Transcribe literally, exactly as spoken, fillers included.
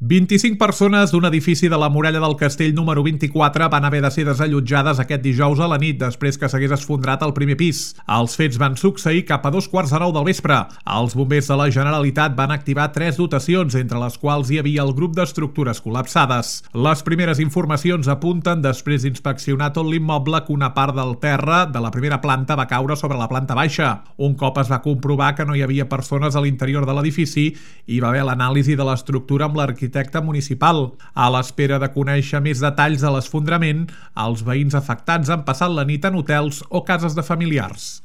vint-i-cinc persones d'un edifici de la Muralla del Castell número vint-i-quatre van haver de ser desallotjades aquest dijous a la nit després que s'hagués esfondrat el primer pis. Els fets van succeir cap a dos quarts de nou del vespre. Els bombers de la Generalitat van activar tres dotacions, entre les quals hi havia el grup d'estructures col·lapsades. Les primeres informacions apunten, després d'inspeccionar tot l'immoble, que una part del terra de la primera planta va caure sobre la planta baixa. Un cop es va comprovar que no hi havia persones a l'interior de l'edifici, hi va haver l'anàlisi de l'estructura amb l'arquitecte arquitecte municipal. A l'espera de conèixer més detalls de l'esfondrament, els veïns afectats han passat la nit en hotels o cases de familiars.